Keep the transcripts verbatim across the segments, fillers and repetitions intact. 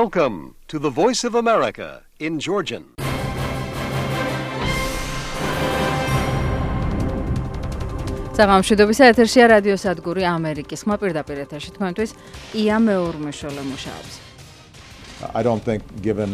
Welcome to the Voice of America in Georgian. საღამოშვიდობის ეთერშია რადიო სადგური ამერიკის ხმა პირდაპირ ეთერში თქვენთვის ია მეურმეშოლე მუშაობს. I don't think given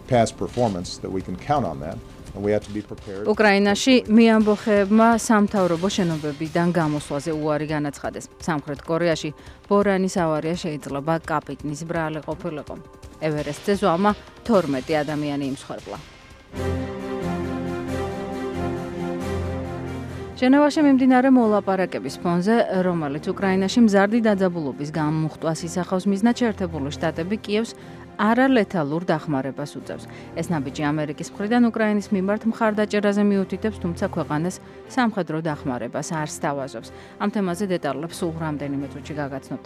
past performance that we can count on that. And we have to be prepared. უკრაინაში მეამბოხეებმა სამთავრობო შენობებიდან გამოსვლაზე უარი განაცხადეს. სამხრეთ კორეაში ბორანის ავარია შეიძლება კაპიტნის ბრალი ყოფილიყო. ევერესტზე ზღვამა თორმეტი ადამიანი იმსხვერპლა. ჟენევაში მიმდინარე მოლაპარაკების ფონზე, რომელიც უკრაინაში მზარდი დაძაბულობის გამოხტვას ისახავს, მიზნად შეერთებული შტატები კიევს არალეთალურ დახმარებას უწევს. ეს ნაბიჯი ამერიკის მხრიდან უკრაინის მიმართ მხარდაჭერაზე მიუთითებს, თუმცა ქვეყანას სამხედრო დახმარებას არ სთავაზობს. ამ თემაზე დეტალებს სულ რამდენიმე წუთში გაგაცნობთ.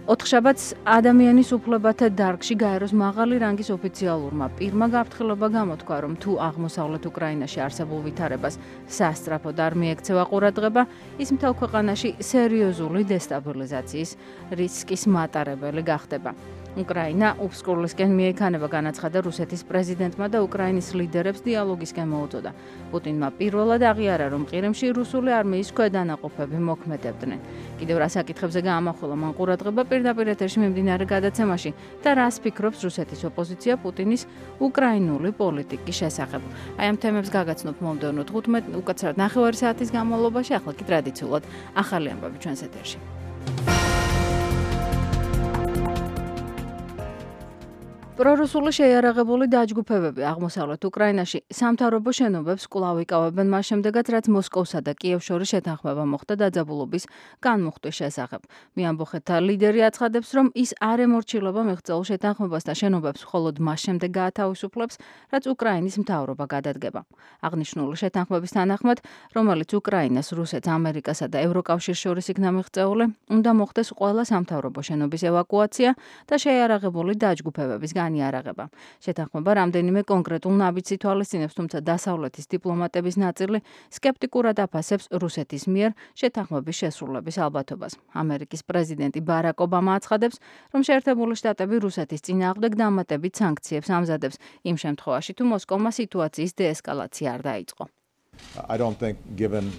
ოთხშაბათს ადამიანის უფლებათა დარგში გაეროს მაღალი რანგის ოფიციალურმა პირმა გაფრთხილება გამოთქვა, რომ თუ აღმოსავლეთ უკრაინაში არსებულ ვითარებას სასწრაფოდ არ მიექცევა ყურადღება, ის მთელ ქვეყანაში სერიოზული დესტაბილიზაციის რისკის მატარებელი გახდება. უკრაინა უბსკურლისკენ მიექანება, განაცხადა რუსეთის პრეზიდენტმა და უკრაინის ლიდერებს დიალოგისკენ მოუწოდა. პუტინმა პირველად აღიარა, რომ ყირიმში რუსული არმიის ქვედანაყოფები მოქმედებდნენ. კიდევ რა საკითხებზე გაამახვილა მან ყურადღება პირდაპირ ეთერში მიმდინარე გადაცემაში და რას ფიქრობს რუსეთის ოპოზიცია პუტინის უკრაინული პოლიტიკის შესახებ. აი ამ თემებს გაგაცნობ მომდევნო თხუთმეტ უკაცრავად ნახევარი საათის განმავლობაში, ახლა კი ტრადიციულად ახალი ამბები ჩვენს ეთერში. პრორუსული შეიარაღებული დაჯგუფებები აღმოსავლეთ უკრაინაში სამთავრობო შენობებს კვლავ იკავებენ მას შემდეგაც, რაც მოსკოვსა და კიევს შორის შეთანხმება მოხდა დაძაბულობის განმუხტვის შესახებ. მეამბოხეთა ლიდერი აცხადებს, რომ ის არ ემორჩილება მიღწეულ შეთანხმებას და შენობებს მხოლოდ მას შემდეგ გაათავისუფლებს, რაც უკრაინის მთავრობა გადადგება. აღნიშნული შეთანხმების თანახმად, რომელიც უკრაინას, რუსეთს, ამერიკასა და ევროკავშირს შორის იქნა მიღწეული, უნდა მოხდეს ყველა სამთავრობო შენობის ევაკუაცია და შეიარაღებული დაჯგუფებების განიარაღება. შეთანხმება რამდენიმე კონკრეტულ ნაბიჯს ითვალისწინებს, თუმცა დასავლეთის დიპლომატების ნაწილი სკეპტიკურად აფასებს რუსეთის მიერ შეთანხმების შესრულების ალბათობას. ამერიკის პრეზიდენტი ბარაკ ობამა აცხადებს, რომ შეერთებული შტატები რუსეთის წინააღმდეგ დამატებით სანქციებს ამზადებს, იმ შემთხვევაში, თუ მოსკოვმა სიტუაციის დეესკალაცია არ დაიწყო. I don't think given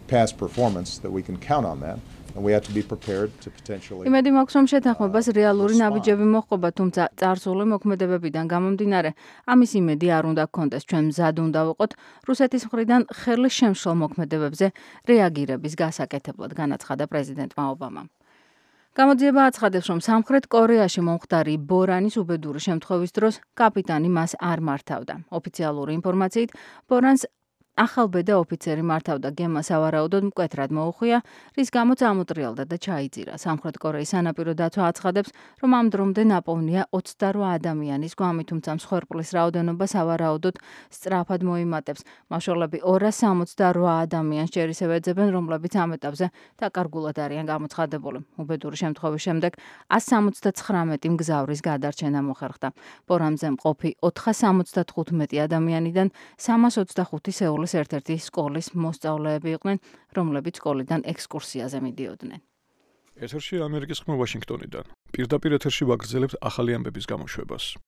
past performance that we can count on that. And we have to be prepared to potentially იმედი მაქვს, რომ შეთანხმებას რეალური ნაბიჯები მოჰყობა, თუმცა წარსული მოქმედებებიდან გამომდინარე, ამის იმედი არ უნდა გქონდეს. ჩვენ მზად უნდა ვიყოთ რუსეთის მხრიდან ხელი შემშლ მოქმედებებზე რეაგირების გასაკეთებლად, განაცხადა პრეზიდენტმა ობამამ. გამოძიება აცხადებს, რომ სამხრეთ კორეაში მომხდარი ბორანის უბედური შემთხვევის დროს კაპიტანი მას არ მართავდა. ოფიციალური ინფორმაციით, ბორანს ახალბედა ოფიცერი მართავდა, გემმა სავარაუდოდ მკვეთრად მოუხვია, რის გამოც ამოტრიალდა და ჩაიძირა. სამხრეთ კორეის სანაპირო დაცვა აცხადებს, რომ ამ დრომდე ნაპოვნია ოცდარვა ადამიანის გვამი, თუმცა მსხვერპლის რაოდენობა სავარაუდოდ სწრაფად მოიმატებს. მაშველები ორას სამოცდარვა ადამიანს ჯერ ისევ ეძებენ, რომლებიც ამ ეტაპზე დაკარგულად არიან გამოცხადებული. უბედური შემთხვევის შემდეგ ათს სამოცდაცხრამეტი მგზავრის გადარჩენა მოხერხდა. ბორანზე მყოფი ოთხას სამოცდათხუთმეტი ადამიანიდან სამას ოცდახუთი სეულის ერთ-ერთი სკოლის მოსწავლეები იყვნენ, რომლებიც სკოლიდან ექსკურსიაზე მიდიოდნენ. ეთერში ამერიკის ხმა ვაშინგტონიდან. პირდაპირ ეთერში ვაგრძელებთ ახალი ამბების გამოშვებას.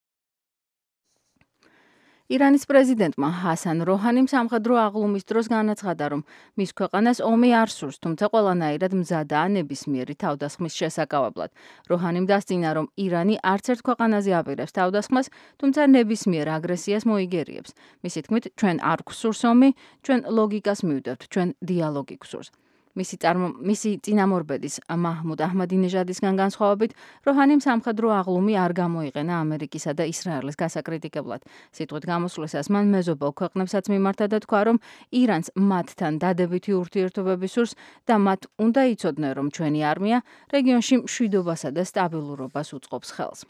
ირანის პრეზიდენტმა ჰასან როჰანიმ სამხედრო აღლუმის დროს განაცხადა, რომ მის ქვეყანას ომი არ სურს, თუმცა ყველანაირად მზადაა ნებისმიერი თავდასხმის შესაკავებლად. როჰანიმ დასძინა, რომ ირანი არც ერთ ქვეყანაზე აპირებს თავდასხმას, თუმცა ნებისმიერ აგრესიას მოიგერიებს. მისი თქმით, ჩვენ არ გვსურს ომი, ჩვენ ლოგიკას მივდევთ, ჩვენ დიალოგი გვსურს. მისი წარმო მისი წინამორბედის მაჰმუდ აჰმადინეჟადისგან განსხვავებით, როჰანიმ სამხედრო აღლუმი არ გამოიყენა ამერიკისა და ისრაელის გასაკრიტიკებლად. სიტყვით გამოსვლისას მან მეზობელ ქვეყნებსაც მიმართა და თქვა, რომ ირანს მათთან დადებითი ურთიერთობები სურს და მათ უნდა იცოდნენ, რომ ჩვენი არმია რეგიონში მშვიდობასა და სტაბილურობას უწყობს ხელს.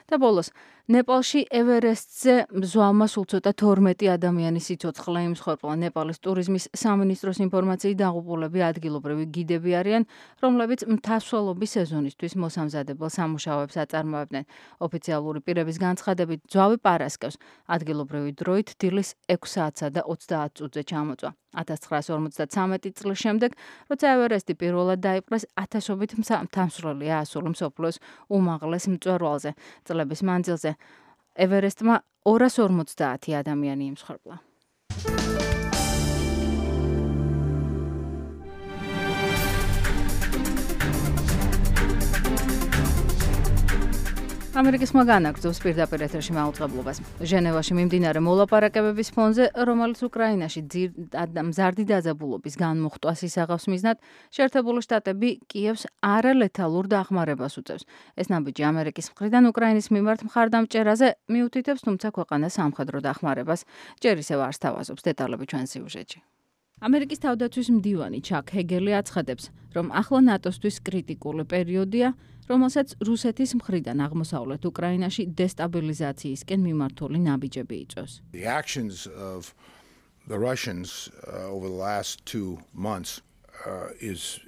და ბოლოს, ნეპალში ევერესტზე მზვავმა სულ ცოტა თორმეტი ადამიანის სიცოცხლე იმსხვერპლა. ნეპალის ტურიზმის სამინისტროს ინფორმაციით დაღუპულები ადგილობრივი გიდები არიან, რომლებიც მთასვლელობის სეზონისთვის მოსამზადებელ სამუშაოებს აწარმოებდნენ. ოფიციალური პირების განცხადებით, მძვავი პარასკევს ადგილობრივი დროით დილის ექვს საათსა და ოცდაათ წუთზე ჩამოწვა. ათას ცხრაასი ორმოცდათვრამეტი წლის შემდეგ, როცა ევერესტი პირველად დაიპყრეს, ათასობით მთამსვლელი აასულა მსოფლიოს უმაღლეს მწვერვალზე. წლების მანძილზე ევერესტმა ორას ორმოცდაათი ადამიანი იმსხვერპლა. ამერიკის ხმა განაგრძობს პირდაპირ ეთერში მაუწყებლობას. ჟენევაში მიმდინარე მოლაპარაკებების ფონზე, რომელიც უკრაინაში მზარდი დაძაბულობის განმუხტვას ისაღავს მიზნად, შეერთებული შტატები კიევს არალეთალურ დახმარებას უწევს. ეს ნაბიჯი ამერიკის მხრიდან უკრაინის მიმართ მხარდამჭერაზე მიუთითებს, თუმცა ქვეყანას სამხედრო დახმარებას ჯერ ისევ არ სთავაზობს. დეტალები ჩვენ სიუჟეტში. ამერიკის თავდაცვის მდივანი ჩაკ ჰეგელი აცხადებს, რომ ახლა ნატოსთვის კრიტიკული პერიოდია, რომელსაც რუსეთის მხრიდან აღმოსავლეთ უკრაინაში დესტაბილიზაციისკენ მიმართული ნაბიჯები იწვევს. The actions of the Russians uh, over the last two months uh, is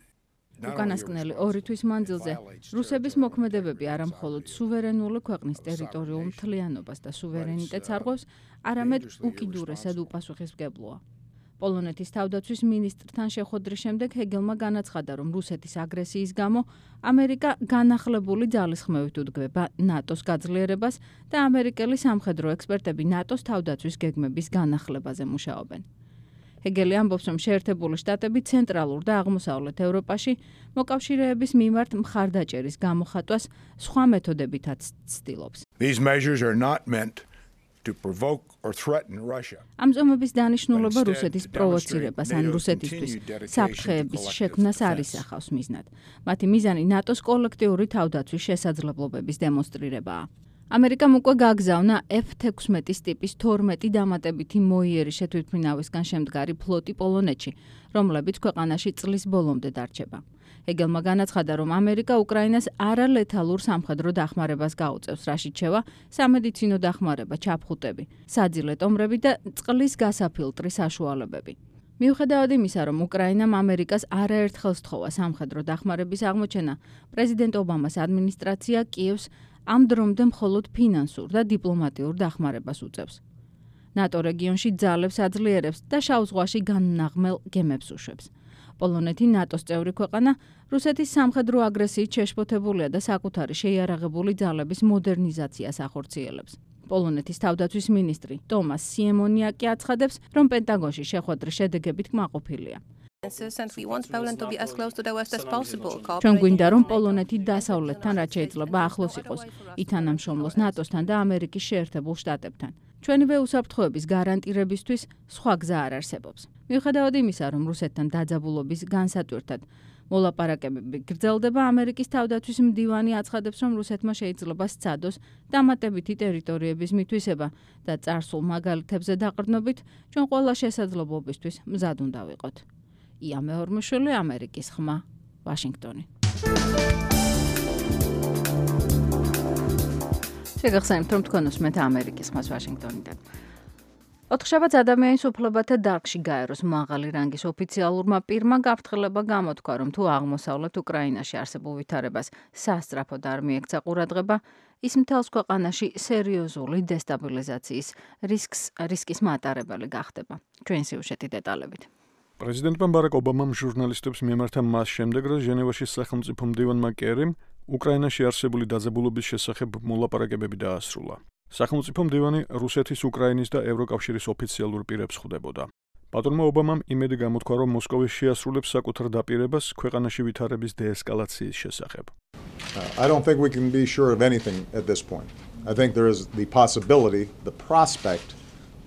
უკანასკნელი ორი თვის მანძილზე რუსების მოქმედებები არა მხოლოდ სუვერენული ქვეყნის ტერიტორიულ მთლიანობას და სუვერენიტეტს არღვევს, არამედ უკიდურესად უპასუხისმგებლოა. პოლონეთის თავდაცვის მინისტრთან შეხვედრის შემდეგ ჰეგელმა განაცხადა, რომ რუსეთის აგრესიის გამო ამერიკა განახლებული ძალისხმევით უდგება ნატოს გაძლიერებას და ამერიკელი სამხედრო ექსპერტები ნატოს თავდაცვის გეგმების განახლებაზე მუშაობენ. ჰეგელი ამბობს, რომ შეერთებული შტატები ცენტრალურ და აღმოსავლეთ ევროპაში მოკავშირეების მიმართ მხარდაჭერის გამოხატვას სხვა მეთოდებითაც ცდილობს. These measures are not meant to provoke or threaten Russia. ამ ზომების დანიშნულება რუსეთის პროვოცირებას ან რუსეთისთვის საფრთხეების შექმნას არ ისახავს მიზნად. მათი მიზანი ნატოს კოლექტიური თავდაცვის შესაძლებლობების დემონსტრირებაა. ამერიკამ უკვე გაგზავნა ეფ თექვსმეტის ტიპის თორმეტი დამატებითი მოიერი შეთვითმფრინავისგან შემდგარი ფლოტი პოლონეთში, რომლებიც ქვეყანაში წლის ბოლომდე დარჩება. ჰეგელმა განაცხადა, რომ ამერიკა უკრაინას არალეთალურ სამხედრო დახმარებას გაუწევს, რაშიც შევა სამედიცინო დახმარება, ჩაფხუტები, საძილე ტომრები და წყლის გასაფილტრი საშუალებები. მიუხედავად იმისა, რომ უკრაინამ ამერიკას არაერთხელ სთხოვა სამხედრო დახმარების აღმოჩენა, პრეზიდენტ ობამას ადმინისტრაცია კიევს ამ დრომდე მხოლოდ ფინანსურ და დიპლომატიურ დახმარებას უწევს. ნატო რეგიონში ძალებს აძლიერებს და შავ ზღვაში განმნაღმელ გემებს უშვებს. პოლონეთი ნატოს წევრი ქვეყანა რუსეთის სამხედრო აგრესიით შეშფოთებულია და საკუთარი შეიარაღებული ძალების მოდერნიზაციას ახორციელებს. პოლონეთის თავდაცვის მინისტრი ტომას სიემონიაკი აცხადებს, რომ პენტაგონში შეხვედრის შედეგებით კმაყოფილია. ჩვენ გვინდა, რომ პოლონეთი დასავლეთთან რაც შეიძლება ახლოს იყოს, ითანამშრომლოს ნატოსთან და ამერიკის შეერთებულ შტატებთან. ჩვენივე უსაფრთხოების გარანტირებისთვის სხვა გზა არ არსებობს. მიუხედავად იმისა, რომ რუსეთთან დაძაბულობის განსატვირთად მოლაპარაკებები გრძელდება, ამერიკის თავდაცვის მდივანი აცხადებს, რომ რუსეთმა შეიძლება სცადოს დამატებითი ტერიტორიების მითვისება და წარსულ მაგალითებზე დაყრდნობით ჩვენ ყველა შესაძლებლობისთვის მზად უნდა ვიყოთ. ია მეორმოშვილი, ამერიკის ხმა, ვაშინგტონი. შეგახსენებთ, რომ თქვენ უსმენთ ამერიკის ხმას ვაშინგტონიდან. ოთხშაბათს ადამიანის უფლებათა დარგში გაეროს მაღალი რანგის ოფიციალურმა პირმა გაფრთხილება გამოთქვა, რომ თუ აღმოსავლეთ უკრაინაში არსებულ ვითარებას სასწრაფოდ არ მიექცა ყურადღება, ის მთელს ქვეყანაში სერიოზული დესტაბილიზაციის რისკს რისკის მატარებელი გახდება. ჩვენ სიუჟეტი დეტალებით. პრეზიდენტმა ბარაკ ობამამ ჟურნალისტებს მიემართა მას შემდეგ, რომ ჟენევაში სახელმწიფო მდივანმა კერიმ უკრაინაში არსებული დაძაბულობის შესახებ მოლაპარაკებები დაასრულა. სახელმწიფო მდივანი რუსეთის, უკრაინის და ევროკავშირის ოფიციალურ პირებს ხვდებოდა. პატრონმა ობამამ იმედი გამოთქვა, რომ მოსკოვი შეასრულებს საკუთარ დაპირებას ქვეყანაში ვითარების დეესკალაციის შესახებ. Uh, I don't think we can be sure of anything at this point. I think there is the possibility, the prospect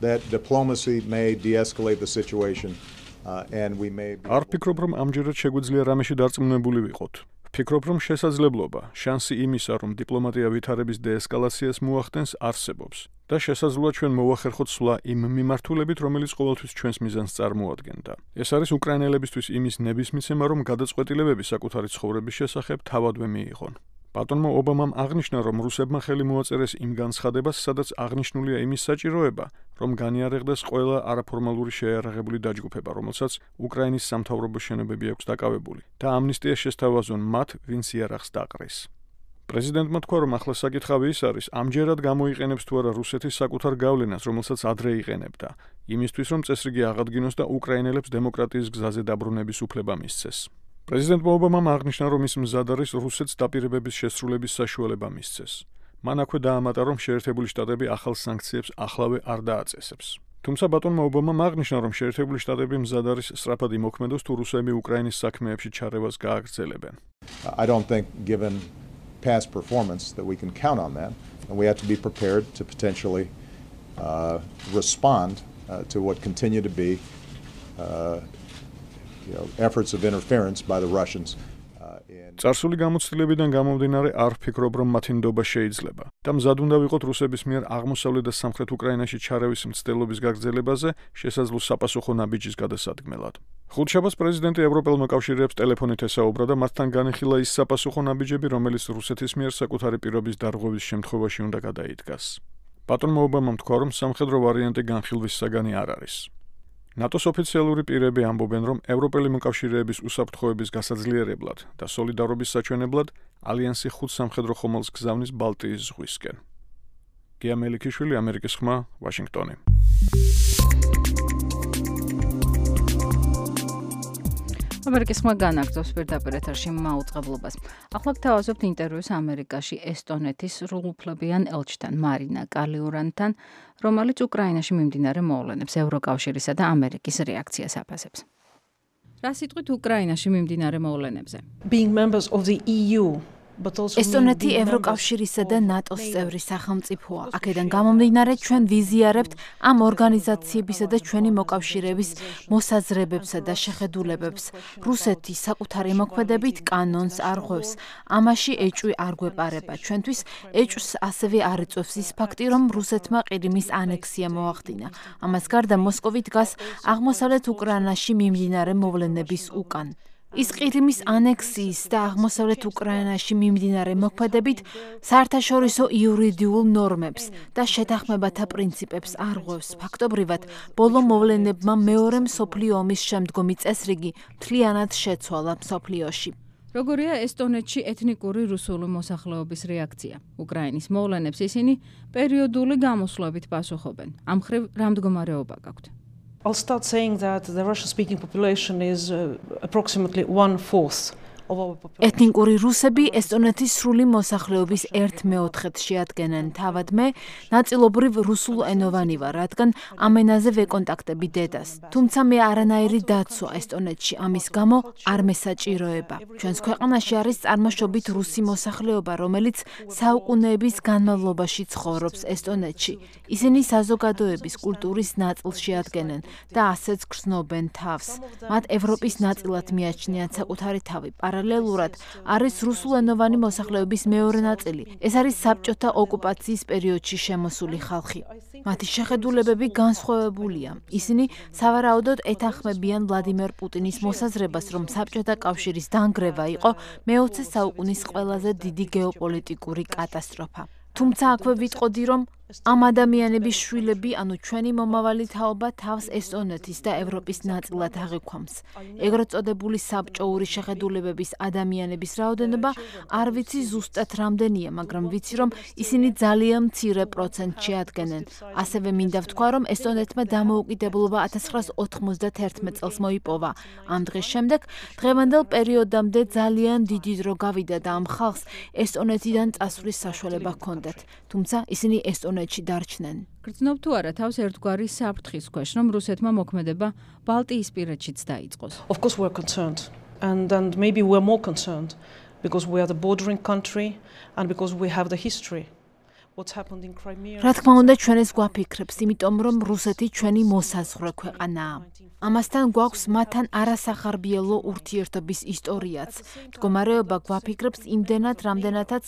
that diplomacy may de-escalate the situation uh, and we may be... არ ფიქრობ, რომ ამჯერად შეგვიძლია რამეში დარწმუნებული ვიყოთ. ფიქრობ, რომ შესაძლებლობა, შანსი იმისა, რომ დიპლომატია ვითარების დეესკალაციას მოახდენს, არსებობს და შესაძლოა ჩვენ მოვახერხოთ სვლა იმ მიმართულებით, რომელიც ყოველთვის ჩვენს მიზანს წარმოადგენდა. ეს არის უკრაინელებისთვის იმის ნებისმიცემა, რომ გადაწყვეტილებები საკუთარი ცხოვრების შესახებ თავადვე მიიღონ. ბატონმა ობამამ აღნიშნა, რომ რუსებმა ხელი მოაწერეს იმ განცხადებას, სადაც აღნიშნულია იმის საჭიროება, რომ განიარაღდეს ყველა არაფორმალური შეიარაღებული დაჯგუფება, რომელსაც უკრაინის სამთავრობო შენობები აქვს დაკავებული და ამნისტია შესთავაზონ მათ, ვინც იარაღს დაყრის. პრეზიდენტმა თქვა, რომ ახლა საკითხავი ის არის, ამჯერად გამოიყენებს თუ არა რუსეთის საკუთარ გავლენას, რომელსაც ადრე იყენებდა, იმისთვის, რომ წესრიგი აღადგინოს და უკრაინელებს დემოკრატიის გზაზე დაბრუნების უფლება მისცეს. პრეზიდენტმა ობამამ აღნიშნა, რომ ის მზად არის რუსეთს დაპირებების შესრულების საშუალება მისცეს. მან აქვე დაამატა, რომ შეერთებული შტატები ახალ სანქციებს ახლავე არ დააწესებს. თუმცა ბატონმა ობამამ აღნიშნა, რომ შეერთებული შტატები მზად არის სწრაფად იმოქმედოს, თუ რუსები უკრაინის საქმეებში ჩარევას გააგრძელებენ. I don't think given past performance that we can count on that, and we have to be prepared to potentially uh, respond uh, to what continue to be uh, you know, efforts of interference by the Russians. წარსული გამოცდილებიდან გამომდინარე არ ვფიქრობ, რომ მათი ნდობა შეიძლება და მზად უნდა ვიყოთ რუსების მიერ აღმოსავლეთ და სამხრეთ უკრაინაში ჩარევის მცდელობის გაგრძელებაზე შესაძლო საპასუხო ნაბიჯის გადასადგმელად. ხუთშაბათს პრეზიდენტი ევროპელ მოკავშირეებს ტელეფონით ესაუბრა და მათთან განიხილა ის საპასუხო ნაბიჯები, რომელიც რუსეთის მიერ საკუთარი პირობის დარღვევის შემთხვევაში უნდა გადაიდგას. ბატონმა ობამამ თქვა, რომ სამხედრო ვარიანტი განხილვის საგანი არ არის. ნატოს ოფიციალური პირები ამბობენ, რომ ევროპელი მოკავშირეების უსაფრთხოების გასაძლიერებლად და სოლიდარობის საჩვენებლად ალიანსი ხუთ სამხედრო ხომალდს გზავნის ბალტიის ზღვისკენ. გია მელიქიშვილი, ამერიკის ხმა, ვაშინგტონი. ამერიკის ხმა განაგრძობს პირდაპირ ეთერში მაუწყებლობას. ახლა გთავაზობთ ინტერვიუს ამერიკაში ესტონეთის სრულუფლებიან ელჩთან მარინა კალიურანთან, რომელიც უკრაინაში მიმდინარე მოვლენებს, ევროკავშირისა და ამერიკის რეაქციას აფასებს. რა სიტყვით უკრაინაში მიმდინარე მოვლენებზე? Being members of the E U ესტონეთი ევროკავშირისა და ნატოს წევრი სახელმწიფოა. აქედან გამომდინარე, ჩვენ ვიზიარებთ ამ ორგანიზაციებისა და ჩვენი მოკავშირეების მოსაზრებებსა და შეხედულებებს. რუსეთი საკუთარი მოქმედებით კანონს არღვევს. ამაში ეჭვი არ გვეპარება. ჩვენთვის ეჭვს ასევე არ იწვევს ის ფაქტი, რომ რუსეთმა ყირიმის ანექსია მოახდინა. ამას გარდა მოსკოვი დგას აღმოსავლეთ უკრაინაში მიმდინარე მოვლენების უკან. ის ყირიმის ანექსიის და აღმოსავლეთ უკრაინაში მიმდინარე მოქმედებით საერთაშორისო იურიდიულ ნორმებს და შეთანხმებათა პრინციპებს არღვევს. ფაქტობრივად, ბოლო მოვლენებმა მეორე მსოფლიო ომის შემდგომი წესრიგი მთლიანად შეცვალა მსოფლიოში. როგორია ესტონეთში ეთნიკური რუსული მოსახლეობის რეაქცია? უკრაინის მოვლენებს ისინი პერიოდული გამოსვლებით პასუხობენ. ამ მხრივ რა მდგომარეობა გაქვთ? I'll start saying that the Russian-speaking population is uh, approximately one-fourth of our population. ეთნიკური რუსები ესტონეთის სრული მოსახლეობის ერთ მეოთხედს შეადგენენ. თავად მე ნაწილობრივ რუსულენოვანი ვარ, რადგან ამ ენაზე ვეკონტაქტები დედას. თუმცა მე არანაირი დაცვა ესტონეთში ამის გამო არ მესაჭიროება. ჩვენს ქვეყანაში არის წარმოშობით რუსი მოსახლეობა, რომელიც საუკუნეების განმავლობაში ცხოვრობს ესტონეთში. ისინი საზოგადოების კულტურის ნაწილს შეადგენენ და ასეც გრძნობენ თავს. მათ ევროპის ნაწილად მიაჩნიათ საკუთარი თავი. პარალელურად არის რუსულენოვანი მოსახლეობის მეორე ნაწილი. ეს არის საბჭოთა ოკუპაციის პერიოდში შემოსული ხალხი. მათი შეხედულებები განსხვავებულია. ისინი სავარაუდოდ ეთანხმებიან ვლადიმერ პუტინის მოსაზრებას, რომ საბჭოთა კავშირის დანგრევა იყო მეოცე საუკუნის ყველაზე დიდი გეოპოლიტიკური კატასტროფა. თუმცა აქვე ვიტყოდი, რომ ამ ადამიანების შვილები, ანუ ჩვენი მომავალი თაობა თავს ესტონეთის და ევროპის ნაწილად აღიქვამს. ეგრეთ წოდებული საბჭოური შეხედულებების ადამიანების რაოდენობა არ ვიცი ზუსტად რამდენია, მაგრამ ვიცი, რომ ისინი ძალიან მცირე პროცენტს შეადგენენ. ასევე მინდა ვთქვა, რომ ესტონეთმა დამოუკიდებლობა ათას ცხრაას ოთხმოცდაათი წელს მოიპოვა. ამ დღის შემდეგ დღევანდელ პერიოდამდე ძალიან დიდი დრო გავიდა და ამ ხალხს ესტონეთიდან წასვლის საშუალება ჰქონდათ. თუმცა ისინი ესტონეთში დარჩნენ. გრძნობ თუ არა თავს ერთგვარი საფრთხის ქვეშ, რომ რუსეთმა მოქმედება ბალტიისპირეთშიც დაიწყოს? Of course we're concerned and and maybe we're more concerned because we are the bordering country and because we have the history. What's happened in Crimea? რა თქმა უნდა, ჩვენ ეს გვაფიქრებს, იმიტომ რომ რუსეთი ჩვენი მოსაზღვრე ქვეყანაა. ამასთან გვაქვს მათთან არასახარბიელო ურთიერთობის ისტორიაც. მდგომარეობა გვაფიქრებს იმდენად, რამდენადაც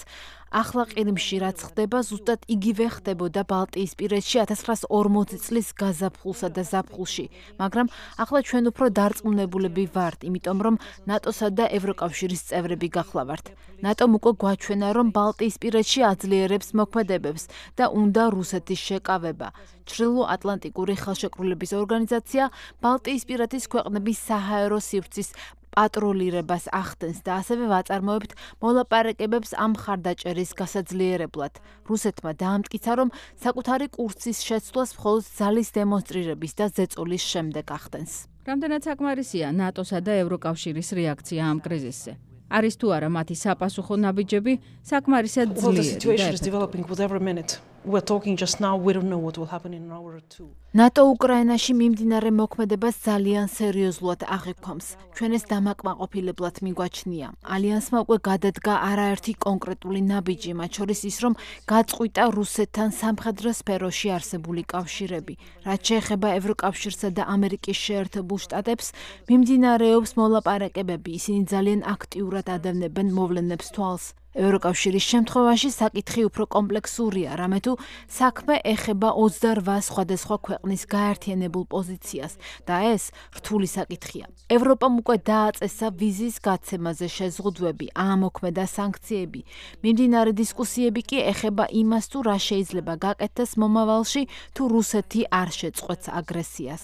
ახლა ყირიმში რაც ხდება, ზუსტად იგივე ხდებოდა ბალტიისპირეთში ათას ცხრაას ორმოცი წლის გაზაფხულსა და ზაფხულში, მაგრამ ახლა ჩვენ უფრო დარწმუნებულები ვართ, იმიტომ რომ ნატოსა და ევროკავშირის წევრები გახლავართ. ნატომ უკვე გვაჩვენა, რომ ბალტიისპირეთში აძლიერებს მოქმედებებს და უნდა რუსეთის შეკავება. ჩრდილო-ატლანტიკური ხელშეკრულების ორგანიზაცია ბალტიისპირეთის ქვეყნების საჰაერო სივრცის პატროლირებას ახდენს და ასევე ვაწარმოებთ მოლაპარაკებებს ამ მხარდაჭერის გასაძლიერებლად. რუსეთმა დაამტკიცა, რომ საკუთარი კურსის შეცვლას მხოლოდ ძალის დემონსტრირების და ზეწოლის შემდეგ ახდენს. რამდენად საკმარისია ნატოსა და ევროკავშირის რეაქცია ამ კრიზისზე? არის თუ არა მათი sapasukho nabijები საკმარისად ძლიერი და We're talking just now, we don't know what will happen in an hour or two. ნატო უკრაინაში მიმდინარე მოქმედებას ძალიან სერიოზულად აღიქვამს. ჩვენ ეს დამაკმაყოფილებლად მიგვაჩნია. ალიანსმა უკვე გადადგა არაერთი კონკრეტული ნაბიჯი, მათ შორის ის, რომ გაწყვიტა რუსეთთან სამხედრო სფეროში არსებული კავშირები. რაც შეეხება ევროკავშირსა და ამერიკის შეერთებულ შტატებს, მიმდინარეობს მოლაპარაკებები. ისინი ძალიან აქტიურად ადევნებენ მოვლენებს თვალს. ევროკავშირის შემთხვევაში საკითხი უფრო კომპლექსურია, რამე თუ საქმე ეხება ოცდარვა სხვადასხვა ქვეყნის გაერთიანებულ პოზიციას და ეს რთული საკითხია. ევროპამ უკვე დააწესა ვიზის გაცემაზე შეზღუდვები, აამოქმედა სანქციები. მიმდინარე დისკუსიები კი ეხება იმას, თუ რა შეიძლება გაკეთდეს მომავალში, თუ რუსეთი არ შეწყვეტს აგრესიას.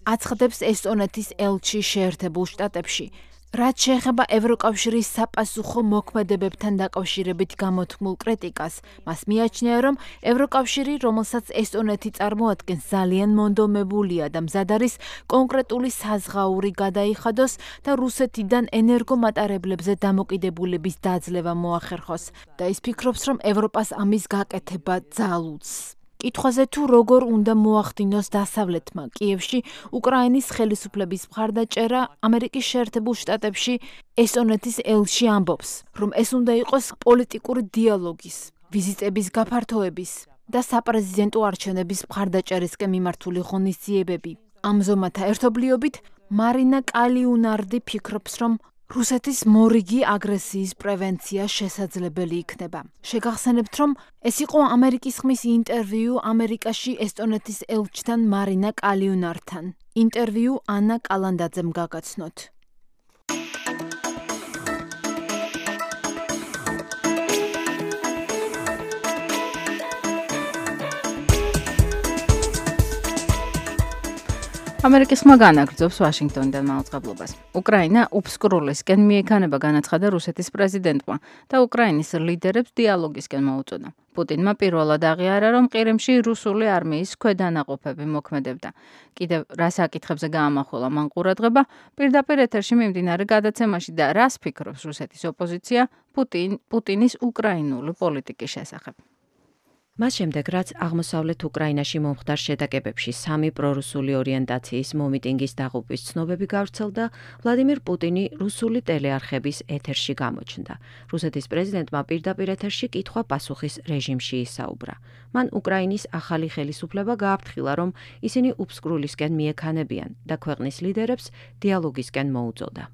აცხადებს ესტონეთის ელჩი შეერთებულ შტატებში. რაც შეეხება ევროკავშირის საპასუხო მოქმედებებთან დაკავშირებით გამოთქმულ კრიტიკას, მას მიაჩნია, რომ ევროკავშირი, რომელსაც ესტონეთი წარმოადგენს, ძალიან მონდომებულია და მზად არის კონკრეტული საზღაური გადაიხადოს და რუსეთიდან ენერგომატარებლებზე დამოკიდებულების დაძლევა მოახერხოს და ის ფიქრობს, რომ ევროპას ამის გაკეთება ძალუძს. კითხვაზე თუ როგორ უნდა მოახდინოს დასავლეთმა კიევში უკრაინის ხელისუფლების მხარდაჭერა, ამერიკის შეერთებულ შტატებში ესტონეთის ელჩი ამბობს, რომ ეს უნდა იყოს პოლიტიკური დიალოგის, ვიზიტების გაფართოების და საპრეზიდენტო არჩევნების მხარდაჭერისკენ მიმართული ღონისძიებები. ამზომათა ერთობლიობით მარინა კალიუნარდი ფიქრობს, რომ რუსეთის მორიგი აგრესიის პრევენცია შესაძლებელი იქნება. შეგახსენებთ, რომ ეს იყო ამერიკის ხმის ინტერვიუ ამერიკაში ესტონეთის ელჩთან მარინა კალიუნართან. ინტერვიუ ანა კალანდაძემ გაგაცნოთ. ამერიკის ხმა განაგრძობს ვაშინგტონიდან მაუწყებლობას. უკრაინა უფსკრულისკენ მიექანება განაცხადა რუსეთის პრეზიდენტმა და უკრაინის ლიდერებს დიალოგისკენ მოუწოდა. პუტინმა პირველად აღიარა, რომ ყირიმში რუსული არმიის ქვედანაყოფები მოქმედებდა. კიდევ რა საკითხებზე გაამახვილა მან ყურადღება, პირდაპირ ეთერში მიმდინარე გადაცემაში და რას ფიქრობს რუსეთის ოპოზიცია პუტინ, პუტინის უკრაინული პოლიტიკის შესახებ. მას შემდეგ, რაც აღმოსავლეთ უკრაინაში მომხდარ შეტაკებებში სამი პრორუსული ორიენტაციის მომიტინგის დაღუპვის ცნობები გავრცელდა, ვლადიმირ პუტინი რუსული ტელეარხების ეთერში გამოჩნდა. რუსეთის პრეზიდენტმა პირდაპირ ეთერში კითხვა-პასუხის რეჟიმში ისაუბრა. მან უკრაინის ახალი ხელისუფლება გააფრთხილა, რომ ისინი უფსკრულისკენ მიექანებიან და ქვეყნის ლიდერებს დიალოგისკენ მოუწოდა.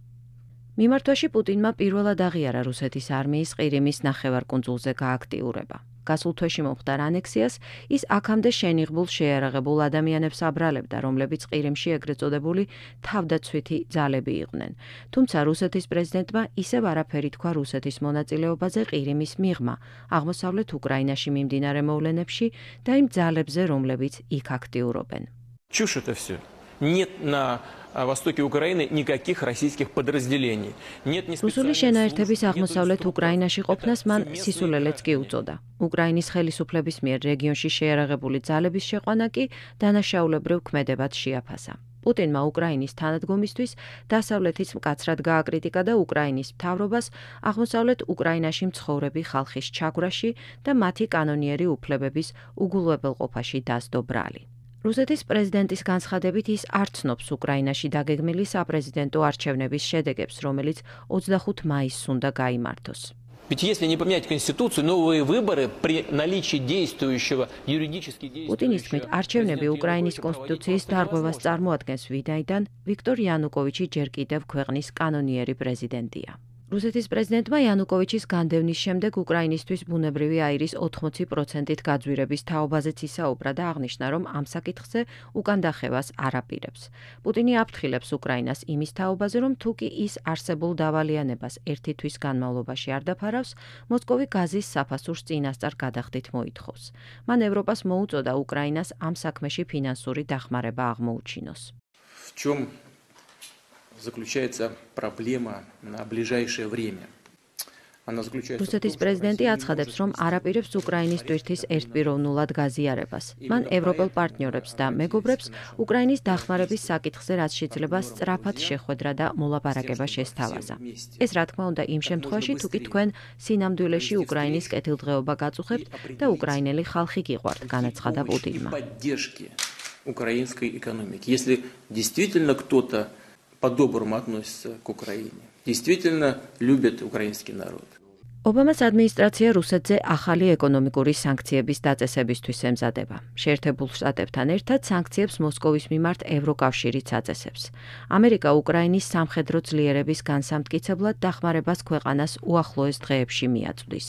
მიმართვაში პუტინმა პირველად აღიარა რუსეთის არმიის ყირიმის ნახევარკუნძულზე გააქტიურება. გასულ თვეში მომხდარ ანექსიას ის აქამდე შენიღბულ შეიარაღებულ ადამიანებს აბრალებდა, რომლებიც ყირიმში ეგრეთ წოდებული თავდაცვითი ძალები იყვნენ. თუმცა რუსეთის პრეზიდენტმა ისევ არაფერი თქვა რუსეთის მონაწილეობაზე ყირიმის მიღმა აღმოსავლეთ უკრაინაში მიმდინარე მოვლენებში და იმ ძალებზე, რომლებიც იქ აქტიურობენ. Чушь это все. Нет на востоке Украины никаких российских подразделений. Нет ни რუსული შენაერთების აღმოსავლეთ უკრაინაში ყოფნას მან სისულელეც კი უწოდა. უკრაინის ხელისუფლების მიერ რეგიონში შეიარაღებული ძალების შეყვანა კი დანაშაულებრივ ქმედებად შეაფასა. პუტინმა უკრაინის თანადგომისთვის დასავლეთის მკაცრად გააკრიტიკა და უკრაინის მთავრობას აღმოსავლეთ უკრაინაში მცხოვრები ხალხის ჩაგვრაში და მათი კანონიერი უფლებების უგულებელყოფაში დასდო ბრალი. რუსეთის პრეზიდენტის განცხადებით ის არ ცნობს უკრაინაში დაგეგმილი საპრეზიდენტო არჩევნების შედეგებს, რომელიც ოცდახუთი მაისს უნდა გაიმართოს. Ведь если не поменять конституцию, новые выборы при наличии действующего юридически действующего პუტინის თქმით, არჩევნები უკრაინის კონსტიტუციის დარღვევას წარმოადგენს, ვინაიდან ვიქტორ იანუკოვიჩი ჯერ კიდევ ქვეყნის კანონიერი პრეზიდენტია. რუსეთის პრეზიდენტმა იანუკოვიჩის განდევნის შემდეგ უკრაინისთვის ბუნებრივი აირის ოთხმოცი პროცენტით გაძვირების თაობაზეც ისაუბრა და აღნიშნა, რომ ამ საკითხზე უკან დახევას არ აპირებს. პუტინი აფრთხილებს უკრაინას იმის თაობაზე, რომ თუ კი ის არსებულ დავალიანებას ერთი თვის განმავლობაში არ დაფარავს, მოსკოვი გაზის საფასურს წინასწარ გადახდით მოითხოვს. მან ევროპას მოუწოდა უკრაინას ამ საქმეში ფინანსური დახმარება აღმოუჩინოს. В чем заключается проблема на ближайшее время? რუსეთის პრეზიდენტი აცხადებს, რომ არ აპირებს უკრაინის ტვირთის ერთპიროვნულად გაზიარებას. მან ევროპელ პარტნიორებს და მეგობრებს უკრაინის დახმარების საკითხზე რაც შეიძლება სწრაფად შეხვედრა და მოლაპარაკება შესთავაზა. ეს რა თქმა უნდა იმ შემთხვევაში, თუ კი თქვენ სინამდვილეში უკრაინის კეთილდღეობა გაწუხებთ და უკრაინელი ხალხი გიყვართ, განაცხადა პუტინმა. Украинской экономики. Если действительно кто-то по-доброму относится к Украине, действительно любит украинский народ. ობამას ადმინისტრაცია რუსეთზე ახალი ეკონომიკური სანქციების დაწესებისთვის ემზადება. შეერთებულ შტატებთან ერთად სანქციებს მოსკოვის მიმართ ევროკავშირიც აწესებს. ამერიკა უკრაინის სამხედრო ძლიერების განსამტკიცებლად დახმარებას ქვეყანას უახლოეს დღეებში მიაწვდის.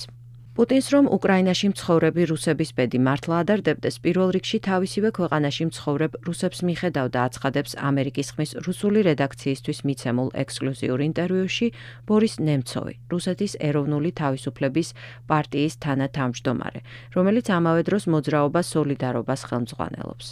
პუტინს რომ უკრაინაში მცხოვრები რუსების ბედი მართლა ადარდებდეს, პირველ რიგში თავისივე ქვეყანაში მცხოვრებ რუსებს მიხედავდა აცხადებს ამერიკის ხმის რუსული რედაქციისთვის მიცემულ ექსკლუზიურ ინტერვიუში ბორის ნემცოვი, რუსეთის ეროვნული თავისუფლების პარტიის თანათავმჯდომარე, რომელიც ამავე დროს მოძრაობა სოლიდარობას ხელმძღვანელობს.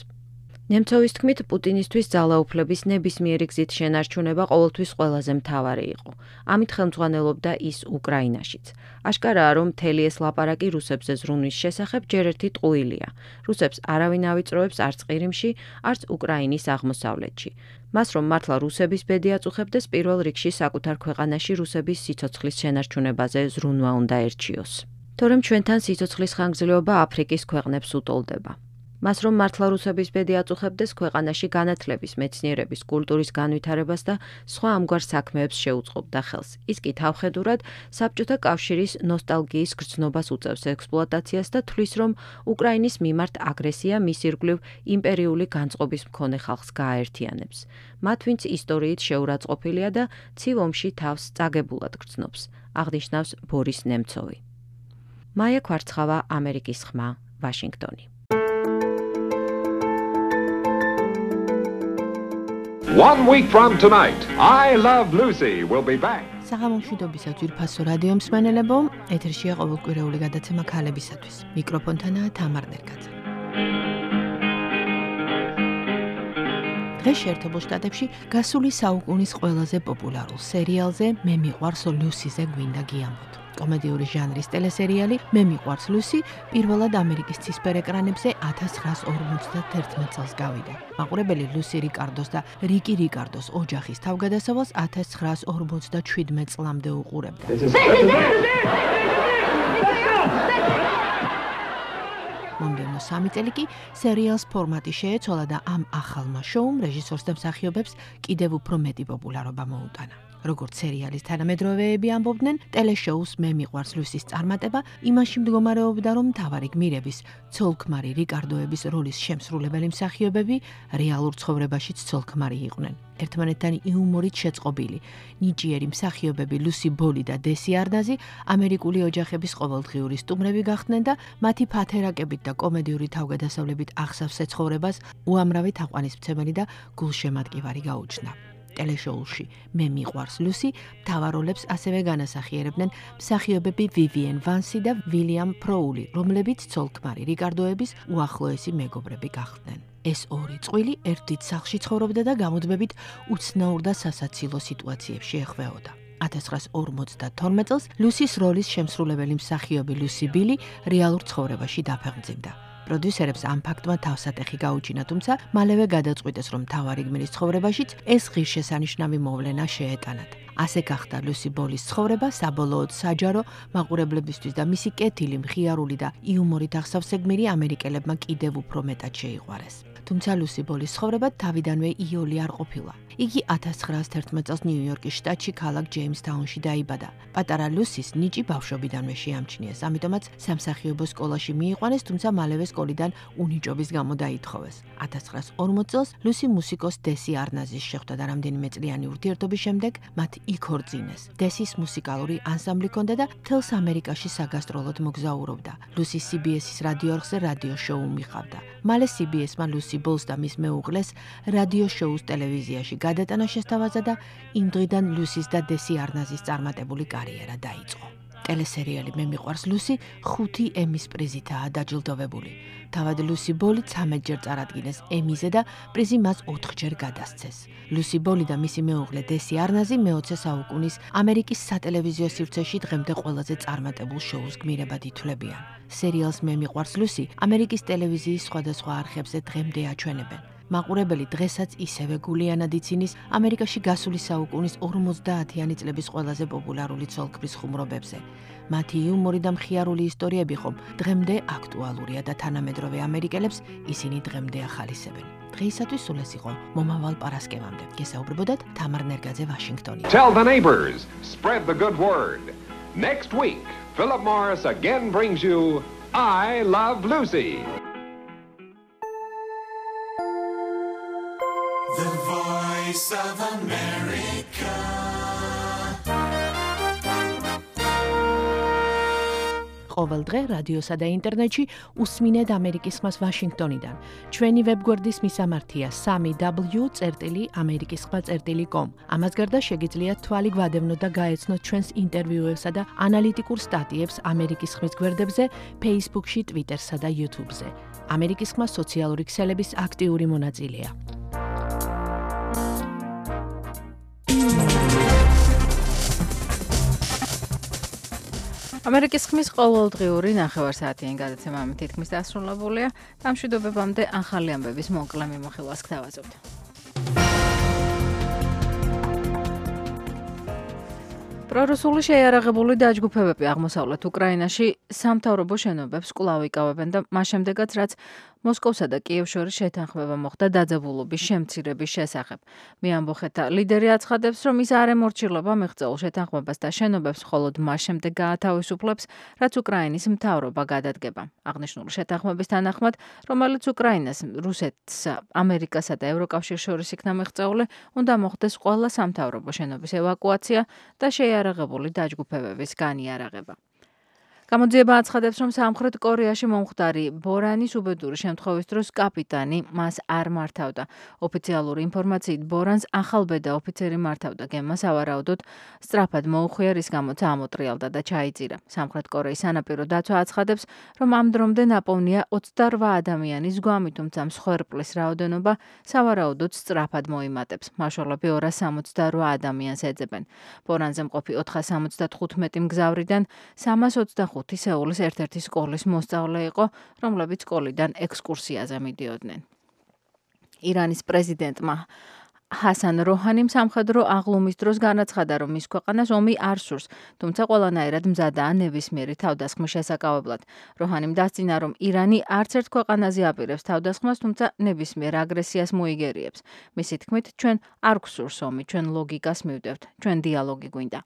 ნემცოვის თქმით, პუტინისთვის ძალაუფლების ნებისმიერი გზით შენარჩუნება ყოველთვის ყველაზე მთავარი იყო. ამით ხელმძღვანელობდა ის უკრაინაშიც. აშკარაა, რომ მთელი ეს ლაპარაკი რუსებზე ზრუნვის შესახებ ჯერ ერთი ტყუილია. რუსებს არავინ ავიწროებს არც ყირიმში, არც უკრაინის აღმოსავლეთში. მას რომ მართლა რუსების ბედი აწუხებდეს, პირველ რიგში საკუთარ ქვეყანაში რუსების სიცოცხლის შენარჩუნებაზე ზრუნვა უნდა ერჩიოს. თორემ ჩვენთან სიცოცხლის ხანგრძლივობა აფრიკის ქვეყნებს უტოლდება. მას რომ მართლა რუსების ბედი აწუხებდეს, ქვეყანაში განათლების, მეცნიერების, კულტურის განვითარებას და სხვა ამგვარ საქმეებს შეუწყობდა ხელს. ის კი თავხედურად საბჭოთა კავშირის ნოსტალგიის გრძნობას უწევს ექსპლუატაციას და თვლის, რომ უკრაინის მიმართ აგრესია მის ირგვლივ იმპერიული განწყობის მქონე ხალხს გააერთიანებს. მათ, ვინც ისტორიით შეურაცხყოფილია და ცივ ომში თავს წაგებულად გრძნობს, აღნიშნავს ბორის ნემცოვი. მაია ქვარცხავა, ამერიკის ხმა, ვაშინგტონი. One week from tonight, I Love Lucy will be back. საღამომშვიდობისა ძვირფასო რადიო მსმენელებო, ეთერშია ყოველკვირეული გადაცემა ქალებისათვის. მიკროფონთანაა თამარ ნერგაძე. დღეს შეერთებულ შტატებში გასული საუკუნის ყველაზე პოპულარულ სერიალზე მე მიყვარს ლუსიზე გვინდა გიამბოთ. კომედიური ჟანრის ტელესერიალი მე მიყვარს ლუსი პირველად ამერიკის ცისფერ ეკრანებზე ათას ცხრაას ორმოცდაათი წელს გავიდა. მაყურებელი ლუსი რიკარდოს და რიკი რიკარდოს ოჯახის თავგადასავალს ათას ცხრაას ორმოცდაშვიდმეტ წლამდე უყურებდა. მომდევნო სამი წელი კი სერიალს ფორმატი შეეცვალა და ამ ახალმა შოუმ რეჟისორს და მსახიობებს კიდევ უფრო მეტი პოპულარობა მოუტანა. როგორც სერიალის თანამედროვეები ამბობდნენ, ტელეშოუს მე მიყვარს ლუსის წარმატება იმაში მდგომარეობდა, რომ მთავარი გმირების, ცოლ-ქმარი რიკარდოების როლის შემსრულებელი მსახიობები რეალურ ცხოვრებაშიც ცოლ-ქმარი იყვნენ. ერთმანეთთან იუმორით შეწყობილი, ნიჭიერი მსახიობები ლუსი ბოლი და დესი არნაზი ამერიკული ოჯახების ყოველდღიური სტუმრები გახდნენ და მათი ფათერაკებით და კომედიური თავგადასავლებით აღსავსე ცხოვრებას უამრავი თაყვანისმცემელი და გულშემატკივარი გაუჩნდა. ტელეშოუში მე მიყვარს ლუსი მთავარ როლებს ასევე განასახიერებდნენ მსახიობები ვივიენ ვანსი და ვილიამ ფროული, რომლებიც ცოლ-ქმარი რიკარდოების უახლოესი მეგობრები გახდნენ. ეს ორი წყვილი ერთ დიდ სახლში ცხოვრობდა და გამუდმებით უცნაურ და სასაცილო სიტუაციებში ეხვეოდა. ათას ცხრაას ორმოცდათორმეტ წელს ლუსის როლის შემსრულებელი მსახიობი ლუსი ბილი რეალურ ცხოვრებაში დაფეხმძიმდა. პროდიუსერებს ამ ფაქტმა თავსატეხი გაუჩინა, თუმცა მალევე გადაწყვიტეს, რომ მთავარი გმირის ცხოვრებაშიც ეს ღირსშესანიშნავი მოვლენა შეეტანათ. ასე გახდა ლუსი ბოლის ცხოვრება საბოლოოდ საჯარო მაყურებლებისთვის და მისი კეთილი, მხიარული და იუმორით აღსავსე გმირი ამერიკელებმა კიდევ უფრო მეტად შეიყვარეს. თუმცა ლუსი ბოლის ცხოვრება თავიდანვე იოლი არ ყოფილა. იგი ათას ცხრაას თერთმეტ წელს ნიუ-იორკის შტატში ქალაქ ჯეიმსთაუნში დაიბადა. პატარა ლუსის ნიჭი ბავშვობიდანვე შეამჩნიეს, ამიტომაც სამსახიობო სკოლაში მიიყვანეს, თუმცა მალევე სკოლიდან უნიჭობის გამო დაითხოვეს. ათას ცხრაას ორმოც წელს ლუსი მუსიკოს დესი არნაზის შეხვდა და რამდენიმე წლიანი ურთიერთობის შემდეგ მათ იქორწინეს. დესის მუსიკალური ანსამბლი ჰქონდა და მთელს ამერიკაში საგასტროლოდ მოგზაურობდა. ლუსი სი ბი ეს-ის რადიო არხზე რადიო შოუ მიყავდა. მალე სი ბი ეს-მა ლუსი ბოლს და მის მეუღლეს რადიო შოუს ტელევიზიაში გადატანა შესთავაზა და იმ დღიდან ლუსის და დესი არნაზის წარმატებული კარიერა დაიწყო. ტელესერიალი მე მიყვარს ლუსი ხუთი ემის პრიზითაა დაჯილდოვებული. თავად ლუსი ბოლი ცამეტჯერ წარადგინეს ემიზე და პრიზი მას ოთხჯერ გადასცეს. ლუსი ბოლი და მისი მეუღლე დესი არნაზი მეოცე საუკუნის ამერიკის სატელევიზიო სივრცეში დღემდე ყველაზე წარმატებულ შოუს გმირებად ითვლებიან. სერიალს მე მიყვარს ლუსი ამერიკის ტელევიზიის სხვადასხვა არხებზე დღემდე აჩვენებენ. მაყურებელი დღესაც ისევე გულიანად იცინის ამერიკაში გასული საუკუნის ორმოცდაათიანი წლების ყველაზე პოპულარული ცოლ-ქმრის ხუმრობებზე. მათი იუმორი და მხიარული ისტორიები ხომ დღემდე აქტუალურია და თანამედროვე ამერიკელებს ისინი დღემდე ახალისებენ. დღეისათვის სულ ეს იყო მომავალ პარასკევამდე. გესაუბრებოდათ თამარ ნერგაძე ვაშინგტონიდან. Tell the neighbors, spread the good word. Next week, Philip Morris again brings you I Love Lucy. The Voice of America. ყოველ დღე რადიოსა და ინტერნეტში უსმინეთ ამერიკის ხმას ვაშინგტონიდან. ჩვენი ვებგვერდის მისამართია სამი დაბლიუ წერტილი ამერიკის ხმა წერტილი კომ. ამას გარდა შეგიძლიათ თვალი გვადევნოთ და გაეცნოთ ჩვენს ინტერვიუებსა და ანალიტიკურ სტატიებს ამერიკის ხმის გვერდებზე, Facebook-ში, Twitter-სა და YouTube-ზე. ამერიკის ხმა სოციალური ქსელების აქტიური მონაწილეა. ამერიკის ხმის ყოველდღიური ნახევარსაათიანი გადაცემა ამით თითქმის დასრულებულია. დამშვიდობებამდე ახალი ამბების მოკლე მიმოხილვას გთავაზობთ. პრორუსული შეიარაღებული დაჯგუფებები აღმოსავლეთ უკრაინაში სამთავრობო შენობებს კვლავ იკავებენ და მას შემდეგაც რაც მოსკოვსა და კიევს შორის შეთანხმება მოხდა დაძაბულობის შემცირების შესახებ. მეამბოხეთა ლიდერი აცხადებს, რომ ის არ ემორჩილება მიღწეულ შეთანხმებას და შენობებს მხოლოდ მას შემდეგ გაათავისუფლებს, რაც უკრაინის მთავრობა გადადგება. აღნიშნული შეთანხმების თანახმად, რომელიც უკრაინას, რუსეთს, ამერიკასა და ევროკავშირს შორის იქნა მიღწეული, უნდა მოხდეს ყველა სამთავრობო შენობის ევაკუაცია და შეიარაღებული დაჯგუფებების განიარაღება. გამოძიება აცხადებს, რომ სამხრეთ კორეაში მომხდარი ბორანის უბედური შემთხვევის დროს კაპიტანი მას არ მართავდა. ოფიციალური ინფორმაციით ბორანს ახალბედა ოფიცერი მართავდა, გემმა სავარაუდოდ სწრაფად მოუხვია, რის გამოც ამოტრიალდა და ჩაიწირა. სამხრეთ კორეის სანაპირო დაცვა აცხადებს, რომ ამ დრომდე ნაპოვნია ოცდარვა ადამიანის გვამი, თუმცა მსხვერპლის რაოდენობა სავარაუდოდ სწრაფად მოიმატებს. მაშველები ორას სამოცდარვა ადამიანს ეძებენ. ბორანზე მყოფი ოთხას სამოცდათხუთმეტი მგზავრიდან სამას ოცდახუთი სეულის ერთ-ერთი სკოლის მოსწავლე იყო, რომლებიც სკოლიდან ექსკურსიაზე მიდიოდნენ. ირანის პრეზიდენტმა ჰასან როჰანიმ სამხედრო აღლუმის დროს განაცხადა, რომ მის ქვეყანას ომი არ სურს, თუმცა ყველანაირად მზადაა ნებისმიერი თავდასხმის შესაკავებლად. როჰანიმ დასძინა, რომ ირანი არც ერთ ქვეყანაზე აპირებს თავდასხმას, თუმცა ნებისმიერ აგრესიას მოიგერიებს. მისი თქმით, ჩვენ არ გვსურს ომი, ჩვენ ლოგიკას მივდევთ, ჩვენ დიალოგი გვინდა.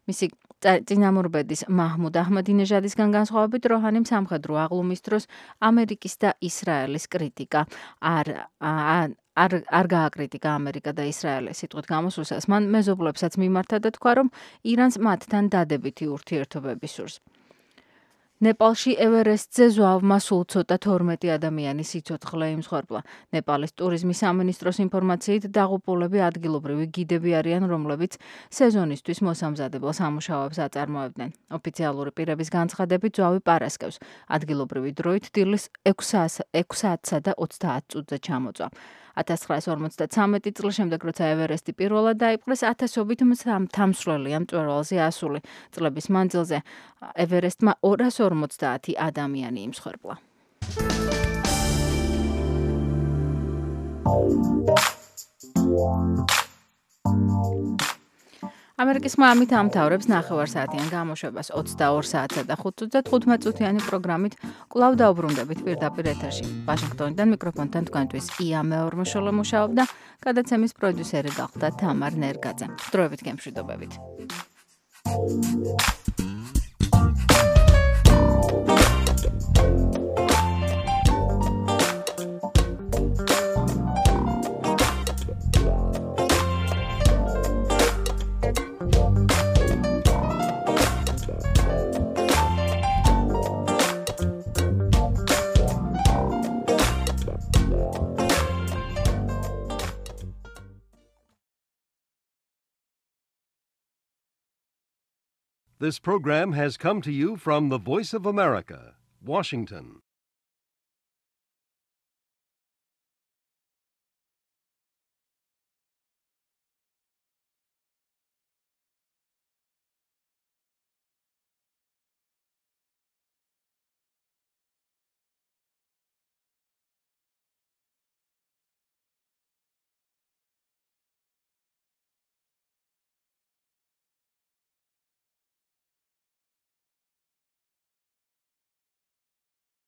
მისი წინამორბედის მაჰმუდ აჰმადინეჟადისგან განსხვავებით, როჰანიმ სამხედრო აღლუმის დროს ამერიკის და ისრაელის კრიტიკა არ არ არ გააკრიტიკა ამერიკა და ისრაელი. სიტყვით გამოსვლისას მან მეზობლებსაც მიმართა და თქვა, რომ ირანს მათთან დადებითი ურთიერთობები სურს. ნეპალში ევერესტზე ზვავმა სულ ცოტა თორმეტი ადამიანის სიცოცხლე იმსხვერპლა. ნეპალის ტურიზმის სამინისტროს ინფორმაციით დაღუპულები ადგილობრივი გიდები არიან, რომლებიც სეზონისთვის მოსამზადებელ სამუშაოებს აწარმოებდნენ. ოფიციალური პირების განცხადებით ზვავი პარასკევს ადგილობრივი დროით დილის ექვსი საათსა და ოცდაათ წუთზე ჩამოწვა. ათას ცხრაას ორმოცდათვრამეტი წლის შემდეგ, როცა ევერესტი პირველად დაიპყრეს, ათასობით მთამსვლელია მწვერვალზე ასული. წლების მანძილზე ევერესტმა ორას ორმოცდაათი ადამიანი იმსხვერპლა. ამერიკის ხმა ამით ამთავრებს ნახევარსაათიან გამოშვებას ოცდაორ საათსა და თხუთმეტ წუთიანი პროგრამით კვლავ დაუბრუნდებით პირდაპირ ეთერში. ვაშინგტონიდან მიკროფონთან თქვენთვის ია მეორმოშოლო მუშაობდა, გადაცემის პროდიუსერი გახდა თამარ ნერგაძე. დროებით გემშვიდობებით. This program has come to you from the Voice of America, Washington.